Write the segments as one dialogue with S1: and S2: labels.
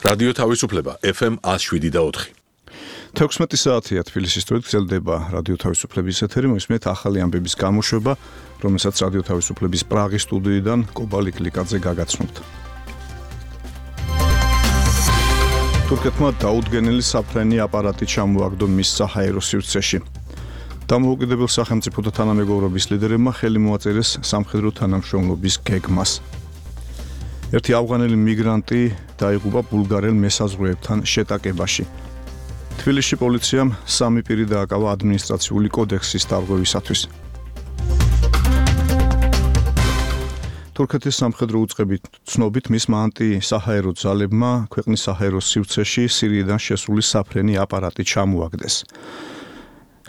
S1: რადიო თავისუფლება FM 107.4.
S2: 16 საათია თბილისის დროით გრძელდება რადიო თავისუფლების ეთერი, მოსმენთ ახალი ამბების გამოშვება, რომელსაც რადიო თავისუფლების პრაღის სტუდიიდან კობალი კლიკაძე გაგაცნობთ. თურქეთმა დაუდგენელი საფრენი აპარატი ჩამოაგდო მის საჰაერო სივრცეში. დამოუკიდებელ სახელმწიფოთა თანამეგობრობის ლიდერებმა ხელი მოაწერეს სამხედრო თანამშრომლობის გეგმას. ერთი ავღანელი მიგრანტი დაიღუპა ბულგარელ მესაზღვრეებთან შეტაკებაში. თბილისში პოლიციამ 3 პირი დააკავა ადმინისტრაციული კოდექსის დარღვევისათვის. თურქეთის სამხედრო უწყების ცნობით მისმა ანტი-საჰაერო ძალებმა ქვეყნის საჰაერო სივრცეში სირიიდან შესული საფრენი აპარატი ჩამოაგდეს.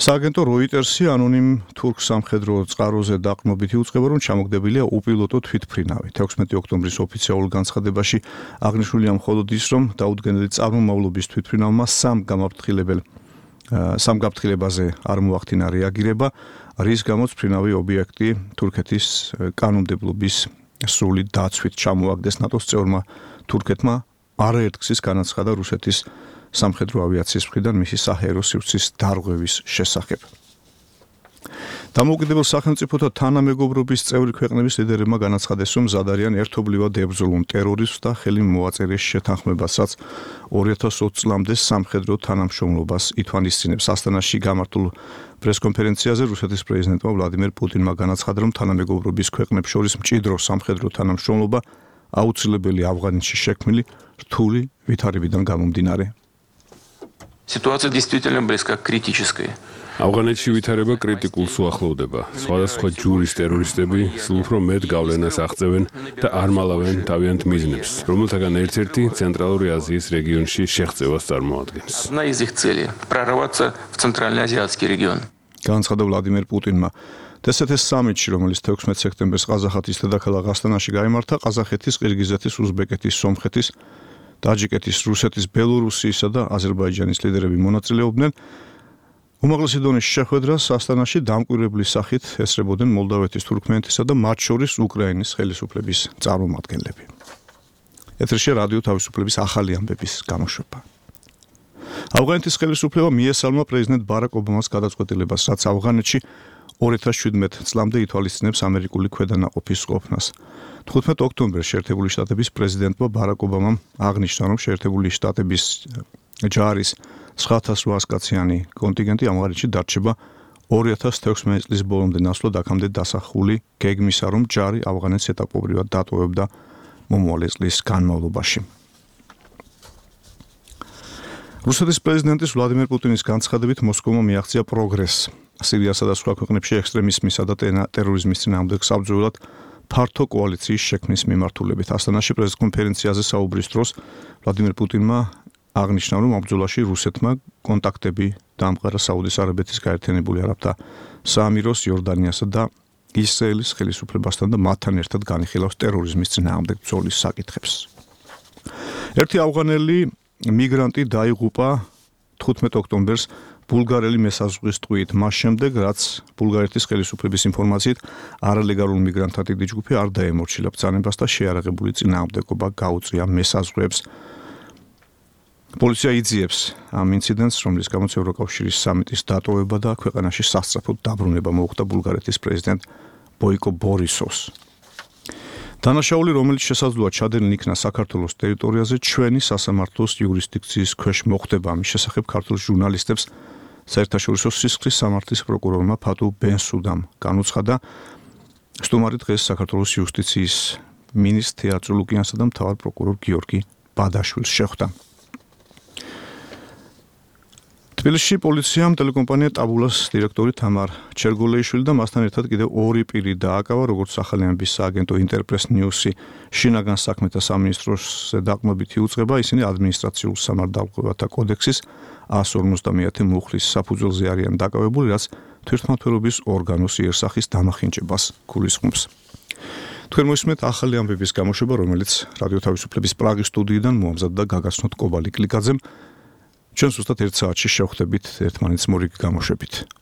S2: სააგენტო როიტერსი ანონიმ თურქ სამხედრო წყაროზე დაყრდნობით იუწყება, რომ ჩამოგდებილია უპილოტო თვითმფრინავი. 16 ოქტომბრის ოფიციალურ განცხადებაში აღნიშნულია მხოლოდ ის, რომ დაუდგენელი წარმომავლობის თვითმფრინავმა სამ გაფრთხილებაზე არ მოახდინა რეაგირება, რის გამოც მფრინავი ობიექტი თურქეთის კანონმდებლობის სრული დაცვით ჩამოაგდეს. ნატოს წევრმა თურქეთმა არაერთგზის განაცხადა რუსეთის სამხედრო ავიაციის მხრიდან მისი საჰაერო სივრცის დარღვევის შესახებ. დამოუკიდებელ სახელმწიფოთა თანამეგობრობის წევრი ქვეყნების ლიდერებმა განაცხადეს, რომ მზად არიან ერთობლივად ებრძოლონ ტერორიზმს და ხელი მოაწერეს შეთანხმებასაც 2020 წლამდე სამხედრო თანამშრომლობას ითვალისწინებს. ასტანაში გამართულ პრესკონფერენციაზე რუსეთის პრეზიდენტმა ვლადიმერ პუტინმა განაცხადა, რომ თანამეგობრობის ქვეყნებს შორის მჭიდრო სამხედრო თანამშრომლობა აუცილებელი ავღანეთში შექმნილი რთული ვითარებიდან გამომდინარე.
S3: Ситуация действительно близка к критической.
S4: ავღანეთში ვითარება კრიტიკულს უახლოვდება. სხვადასხვა ჯურის ტერორისტები სულ უფრო მეტ გავლენას აღწევენ და არ მალავენ თავიანთ მიზნებს, რომელთაგან ერთ-ერთი ცენტრალური აზიის რეგიონში შეღწევას წარმოადგენს.
S3: Одна из их целей прорваться в центральноазиатский регион.
S2: განაცხადა ვლადიმერ პუტინმა. დსთ-ის სამიტში, რომელიც 16 სექტემბერს ყაზახეთის დედაქალაქ ასტანაში გაიმართა, ყაზახეთის, ყირგიზეთის, უზბეკეთის, სომხეთის, ტაჯიკეთის, რუსეთის, ბელორუსიისა და აზერბაიჯანის ლიდერები მონაწილეობდნენ. უმაღლესი დონის შეხვედრას ასტანაში დამკვირვებლის სახით ესწრებოდნენ მოლდავეთის, თურქმენეთისა და მათ შორის უკრაინის ხელისუფლების წარმომადგენლები. ეთერში რადიო თავისუფლების ახალი ამბების გამოშვება. ავღანეთის ხელისუფლება მიესალმა პრეზიდენტ ბარაკ ობამას გადაწყვეტილებას, რაც ავღანეთში 2017 წლამდე ითვალისწინებს ამერიკული ქვედანაყოფის ყოფნას. 15 ოქტომბერს შეერთებული შტატების პრეზიდენტმა ბარაკ ობამამ აღნიშნა, რომ შეერთებული შტატების ჯარის 9,800 კაციანი კონტინგენტი ამღარეთში დარჩება 2016 წლის ბოლომდე ნაცვლად აქამდე დასახული გეგმისა, რომ ჯარი ავღანეთს ეტაპობრივად დატოვებდა მომავალი წლის განმავლობაში. რუსეთის პრეზიდენტის ვლადიმერ პუტინის განცხადებით მოსკოვმა მიაღწია პროგრესს სირიასა და სხვა ქვეყნებში ექსტრემიზმისა და ტერორიზმის წინააღმდეგ საბრძოლველად ფართო კოალიციის შექმნის მიმართულებით. ასტანაში პრესკონფერენციაზე საუბრის დროს ვლადიმერ პუტინმა აღნიშნა, რომ ამ ბრძოლაში რუსეთმა კონტაქტები დაამყარა საუდის არაბეთის გაერთიანებული არაბთა საამიროს, იორდანიასა და ისრაელის ხელისუფლებასთან და მათთან ერთად განიხილავს ტერორიზმის წინააღმდეგ ბრძოლის საკითხებს. ერთი ავღანელი მიგრანტი დაიღუპა 15 ოქტომბერს ბულგარელი მესაზღვრების ტყვიით, მას შემდეგ, რაც ბულგარეთის ხელისუფლების ინფორმაციით არალეგალურ მიგრანტთა დიდი ჯგუფი არ დაემორჩილა ბრძანებას და შეარაღებული წინააღმდეგობა გაუწია მესაზღვრეებს. პოლიცია იძიებს ამ ინციდენტს, რომლის გამოც ევროკავშირის სამიტის დატოვება და ქვეყანაში სასწრაფოდ დაბრუნება მოუხდა ბულგარეთის პრეზიდენტ ბოიკო ბორისოვს. დანაშაული, რომელიც შესაძლოა ჩადენილ იქნა საქართველოს ტერიტორიაზე, ჩვენი სასამართლოს იურისდიქციის ქვეშ მოხვდება. ამის შესახებ ქართულ ჟურნალისტებს საერთაშორისო სისხლის სამართლის პროკურორმა ფატუ ბენსუდამ განუცხადა. სტუმარი დღეს საქართველოს იუსტიციის მინისტრ თეატრო ლუკიანსა და მთავარ პროკურორ გიორგი ბადაშვილს შეხვდა. თბილისში პოლიციამ ტელეკომპანია ტაბულას დირექტორი თამარ ჩერგოლეიშვილი და მასთან ერთად კიდევ 2 პირი დააკავა, როგორც ახალი ამბის სააგენტო ინტერპრეს ნიუსი შინაგან საქმეთა სამინისტროს დაყრდნობით იუწყება, ისინი ადმინისტრაციულ სამართალდამცავთა კოდექსის 150 მუხლის საფუძველზე არიან დაკავებული, რაც თვითმმართველობის ორგანოს იერსახის დამახინჯებას გულისხმობს. თქვენ მოსმენთ ახალი ამბების გამოშვება, რომელიც რადიო თავისუფლების პრაღის სტუდიიდან მოამზადდა გაგაცნოთ კობალი კლიკაძემ. ჩვენ ზუსტად 1 საათში შევხვდებით ერთმანეთს მორიგი გამოშვებით.